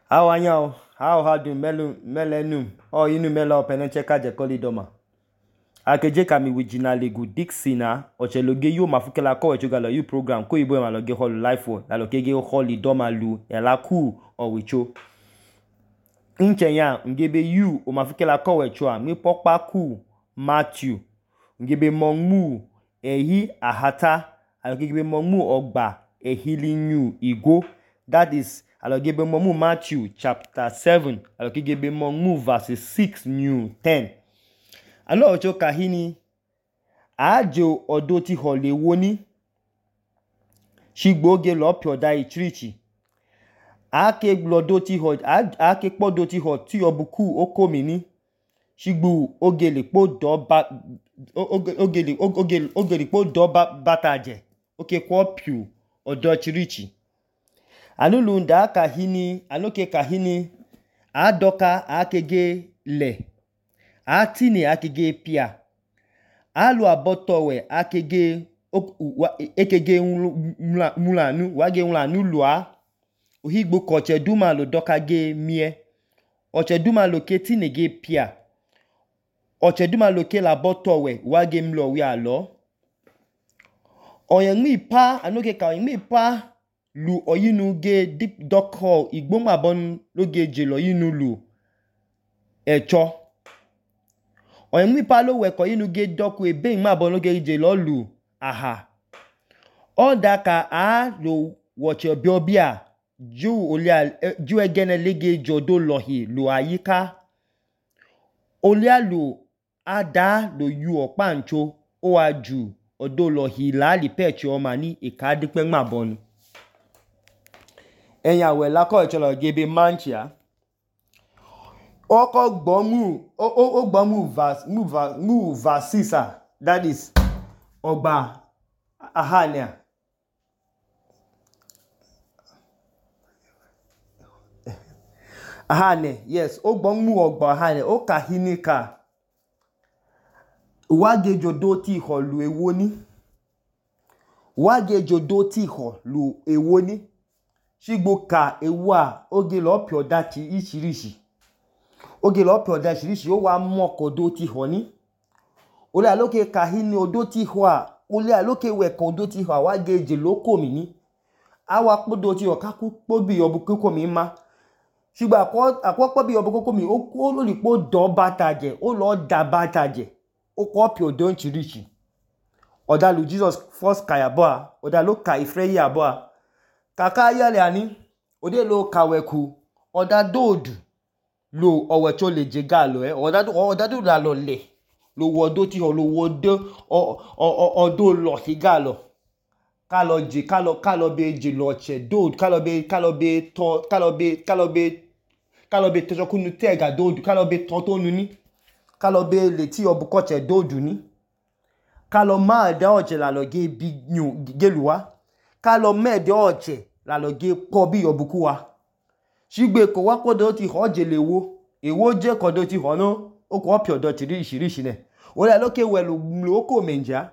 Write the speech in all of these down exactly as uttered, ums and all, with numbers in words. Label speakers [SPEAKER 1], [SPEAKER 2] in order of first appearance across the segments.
[SPEAKER 1] How are you? How hard you melu melenum? Oh, inu mela openeche kaje koli doma. Akeje kami wijina legu Dixina ocheloge yo mafukela ko echugalo you program ko ibo maloge holu life one la lokege holi doma lu ela ku o wicho. Inchenya ngebe you o mafukela ko echua mi pokpa ku Matthew ngebe mongmu ehi ahata alokege mongmu ogba ehili new igo. That is alogebe momu Matthew chapter seven alogebe momu verse six new ten. Alo ocho kahini ajo odoti hole woni shigboge lo pioda ichirichi ake glodoti ho ake podoti ho ti obuku okomini shigbu ogele po do ba ogele ogele ogele po do bataje oke kwa piu odo chirichi. Anulu nda kahini anoke kahini adoka akege le atini akege pia alu abotowe akege ekege mulanu wage mulanu lua ohigbo koche duma lo doka ge mie oche duma lo ketine ge pia oche duma lo ke la botowe wage mlo wi alo oyenmi pa anoke ka oyenmi pa lu oyinu ge deep dock hall igboma bon loge jelo yinu lu echo oyenmi pa lo we ko yinu ge dock we be ma bon loge jelo lu aha odaka a lo woche biobia ju olia ju egene lege jodo lohi lu ayika olia lu ada lo yu opancho o aju odo lohi lali pechi o mani ikadipe ma bon. Enya we la ko echolo gebe manchia oko gbomu o o gbomu verse mu verse mu verse six that is ogba ahania ahane yes o gbomu ogba ahane o kahinika wage jodo ti holu ewoni wage jodo ti holu ewoni shigbo ka ewa oge lo pioda ti ishirishi oge lo pioda ishirishi o wa moko do ti honi ole aloke kahini odo ti hwa ole aloke we kan odo ti hwa wage je loko mini awa podo ti o kaku pobi obukoko mi ma shigbo akwo akwo pobi obukoko mi o ko lo lipo do bataje o lo da bataje o ko piodo nchirishi odalu Jesus first kayabo odalo ka ifreyi abo kaka yale ani ode lo kaweku oda dodu lo owecho le jega lo eh oda oda do la lo le lo wodo ti ho lo wodo odo lo higa lo ka lo je ka lo ka lo be je lo che dodu ka lo be ka lo be to ka lo be ka lo be ka lo be to kunu tega dodu ka lo be to to nu ni ka lo be le ti obuko che dodu ni ka lo ma da oje la lo ge bi geluwa ka lo mede oche la lo ge po bi obuku wa shigbe ko wa kodo ti ho je lewo ewo je kodo ti ho no o ko piodo ti ri shirishi ne o la loke welu lo ko menja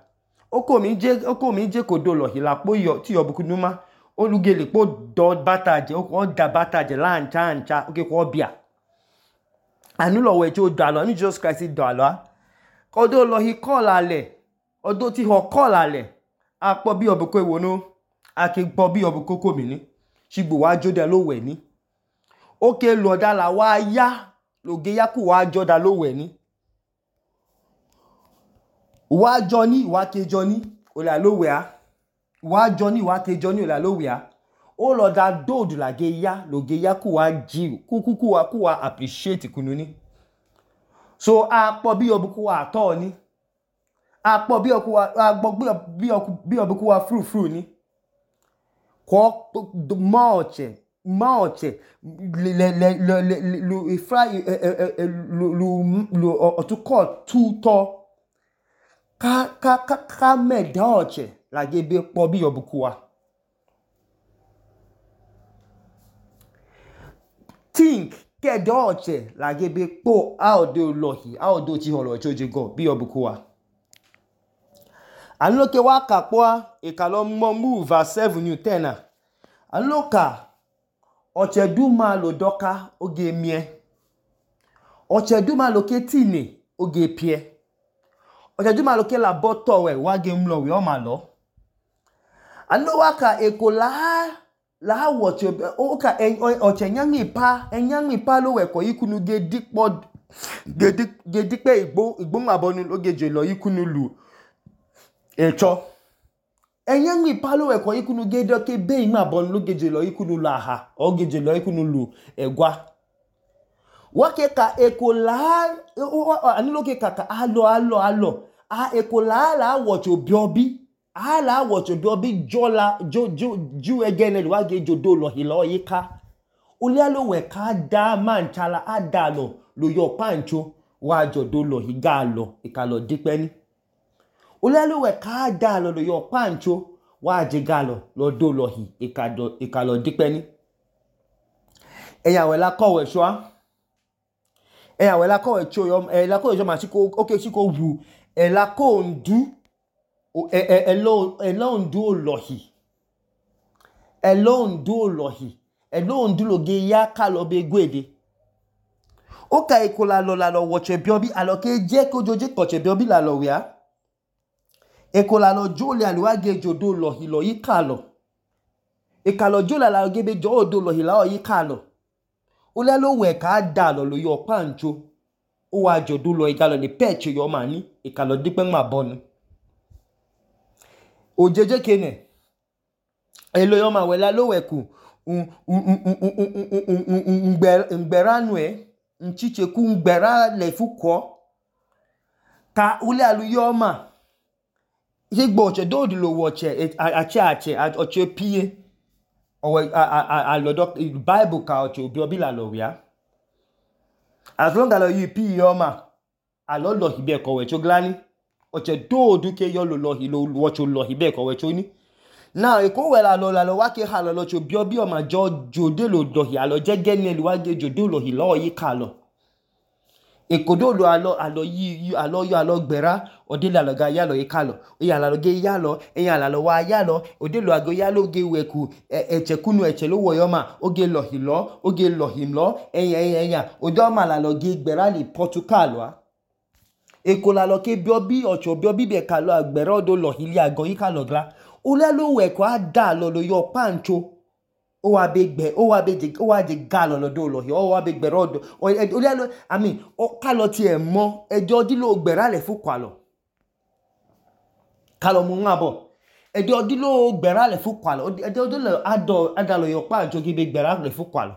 [SPEAKER 1] oko mi je oko mi je kodo lo hilapo yo ti obuku numa olugele po do bataje o ko da bataje la ncha ncha o ke ko bia anu lo we ti o da lo ni Jesus Christ do alo kodo lo hi call ale odo ti ho call ale apo bi obuku ewo no ake gbo bi obukoko mi ni shigbo wa joda lo we ni oke lo da la wa ya loge yaku wa joda lo we ni wa joni wa ke joni o la lo we a wa joni wa ke joni o la lo we a o lo da dodu la ge ya loge yaku wa ji kukuku wa ku wa appreciate kunu ni so apo bi obuku wa to ni apo bi oku wa agbo bi oku bi obuku wa fru fru ni ko maoche maoche le le le le lu ifra lu lu lu otuko tuto ka ka ka ka medoche la gebe po bi obuku wa think ke doche la gebe po audo lohi audo ti holo choje go bi obuku wa anloke wa ka po e ka lo mo mu verse seven new ten aloka ọchẹduma lo dọka oge mie ọchẹduma lo ke tine oge pie ọchẹduma lo ke la bọtọ wẹ wa ge mlọ wẹ ọma lọ anu wa ka eko la la wọchẹ o ka ọchẹ nyangmi pa enyangmi pa lo wẹ kọ ikunu ge dikpọ ge dikpẹ igbo igbo ngabọnu oge je lọ ikunu lu ẹchọ enyangmi pa lo wẹ kọ ikunu ge dọke be ngabọnu oge je lọ ikunu lu aha oge je lọ ikunu lu ẹgwa wa ke ka eko la anu lo ke ka ka alọ alọ alọ a eko la la wọchẹ obiobi a la wọchẹ obiobi jola jo jo ju egene wa ge jodo lọ hilọ yika ulia lo wẹ ka da manchala adalo lo yo pancho wa jodo lọ higa lọ ikalo dipeni ulia lo wẹ ka da lo lo yo pancho wa jiga lọ lo do lọ hi ikado ikalo dipeni eya we la ko we so eya we la ko we cho yo e la ko yo ma siko okay siko wu e la ko ndu e e elo elo ndu lọ hi elo ndu lọ hi elo ndu lo ge ya ka lo be gwede o ka ikola lo la lo woche biobi alo ke je ko joje koche biobi la lo wia ikola lo jole aluwa ge jodo lo hi lo yi ka lo ikalo jole la ge be jodo lo hi la yi ka lo o le lo we ka da lo lo yo pancho o wa jodo lo igalo ni peche yo mani ikalo dipe ma bonu o jeje kene elo yo ma we la lo we ku ngbẹ̀ránù ẹ̀ nchicheku ngbẹ̀rá lẹ̀fúkọ́ ka ule aluyọ ọma ṣígbọ̀ ọ̀chẹ̀ dóòdì lò wọ̀ ọ̀chẹ̀ àchẹ́ àchẹ́ ọ̀chẹ̀ píye ọ̀wẹ̀ àlọ́dọ̀ Bible ka ọ̀chẹ̀ òbí ọbí làlọ̀ wíá as long as you píye ọma àlọ́ lọ̀hì bẹ́ẹ̀ kọ̀wẹ̀ tó gláni ọ̀chẹ̀ dóòdù ké yọ lò lọ̀hì lò wọ̀chẹ̀ lọ̀hì bẹ́ẹ̀ kọ̀wẹ̀ tó ní now eko we la lo la lo wa ke ha lo lo cho bio bio ma jo jode lo do hi alo je gene lu wa ge jode lo hi lo yi ka lo eko do lo alo alo yi alo yo alo gbera ode la lo ga ya lo yi ka lo o ya la lo ge ya lo e ya la lo wa ya lo ode lo ago ya lo ge we ku eche kunu eche lo wo yo ma o ge lo hi lo o ge lo hi lo eyan eyan eyan ode ma la lo ge gbera li Portugal wa eko la lo ke bio bi ocho bio bi be ka lo agbera odo lo hi li ago yi ka lo gla ule lo we kwa da lo lo yo pancho o wa be gbe o wa be je o wa je ga lo lo do lo o wa be gbe rodo ule lo I mean o ka lo ti e mo ejo di lo gbera le fu kwa lo ka lo mu ngabo ejo di lo gbera le fu kwa lo ejo di lo ado ada lo yo pancho ki be gbera le fu kwa lo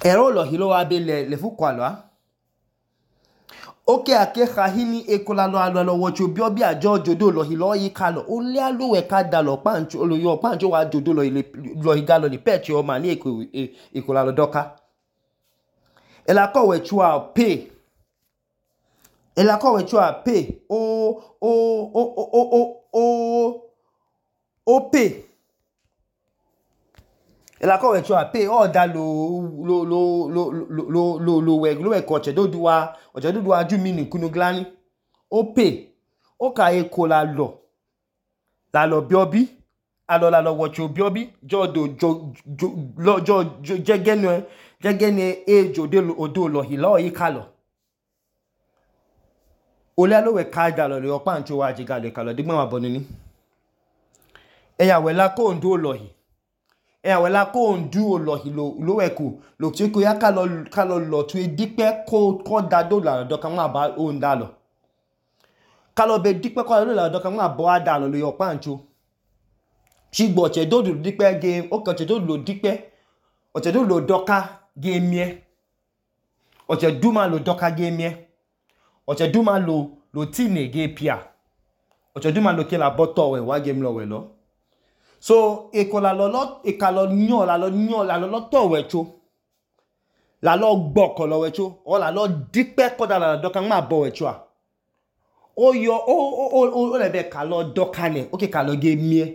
[SPEAKER 1] ero lo hi lo wa be le le fu kwa lo a oke ake khahini ekola lo alo lo wocho bi obi ajo jodo lo hi lo yi ka lo o le alo we ka da lo pancho lo yo pancho wa jodo lo ile lo higa lo ni peche o ma ni eko ekola lo doka ela ko we chua pay ela ko we chua pay o o o o o o o pay ela ko we chua pay o da lo lo lo lo lo lo lo we lo we ko che do duwa o che do duwa ju mi ni kunu glani o pay o ka ekola lo la lo biobi alo la lo wocho biobi jo do jo lo jo jegene jegene e jode lo odo lo hi lo yi ka lo o le lo we ka da lo lo pancho wa jiga le ka lo digbon wa bonu ni eya we la ko ndo lo hi eya we la ko ndu lo hi lo lo we ku lo ti ko ya ka lo ka lo lo tu e dipe ko ko da do la do kan ma ba o nda lo ka lo be dipe ko lo la do kan ma bo ada lo lo yo pancho ṣígbọ̀ ọ̀chẹ̀ dòdò dípẹ́ ge ó kàn ọ̀chẹ̀ dòdò dípẹ́ ọ̀chẹ̀ dòdò dọ́ka ge mie ọ̀chẹ̀ dúmà lò dọ́ka ge mie ọ̀chẹ̀ dúmà lò lò tìnè ge pia ọ̀chẹ̀ dúmà lò kí la bọ́tọ̀ wẹ̀ wá ge mlọ wẹ̀ lọ so èkó la lọ lọ èkà lọ yàn la lọ yàn la lọ lọ́tọ̀ wẹ̀ tso la lọ gbọ́kọ̀ lọ wẹ̀ tso ọ la lọ dípẹ́ kọ́dà la dọ́ka ń má bọ̀ wẹ̀ tso à ó yọ ó ó ó ó lẹ̀ bẹ̀ kà lọ dọ́ka nẹ̀ ó kì kà lọ ge mie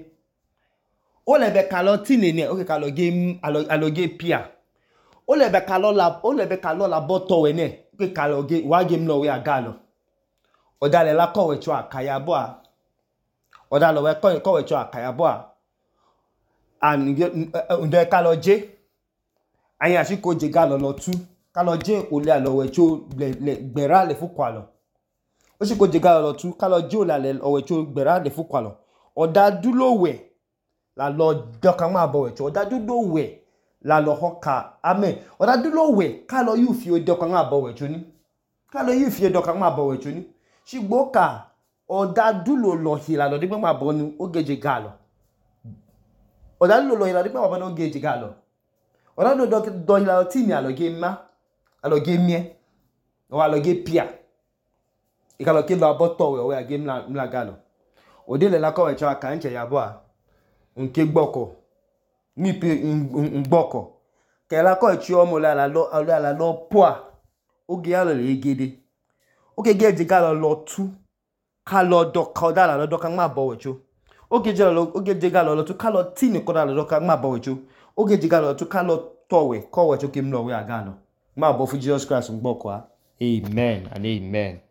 [SPEAKER 1] o le be ka lo tine ne o ke ka lo game alo alo ge pia o le be ka lo la o le be ka lo la boto we ne o ke ka lo ge wa game lo we aga lo o da le la ko we cho akaya bo a o da lo we ko ko we cho akaya bo a and ndo ka lo je anya shi ko je ga lo lo tu ka lo je ole alo we cho gbera le fu kwa lo o shi ko je ga lo lo tu ka lo je ole alo we cho gbera le fu kwa lo oda du lo we la lo do kan ma bo we cho oda du lo we la lo hoka amen oda du lo we ka lo yu fi o do kan ma bo we cho ni ka lo yu fi o do kan ma bo we cho ni shi gbo ka oda du lo lo hi la lo de ma bo ni o ge je ga lo oda du lo lo hi la de ma bo ni o ge je ga lo oda du do do hi la ti mi alo ge ma alo ge mie o alo ge pia e ka lo ke lo aboto we o ya ge mla mla ga lo o de le la ko we cho aka nche ya bo a nke gboko ni pe ngboko ke la ko chi omo la la lo la lo po a o ge ya lo le gede o ke ge je ga lo lo tu ka lo do ka da la lo do kan ma bo we cho o ge je lo o ge je ga lo lo tu ka lo ti ni ko da lo do kan ma bo we cho o ge je ga lo tu ka lo to we ko we cho ke mlo we aga lo ma bo fu Jesus Christ ngboko a amen and amen.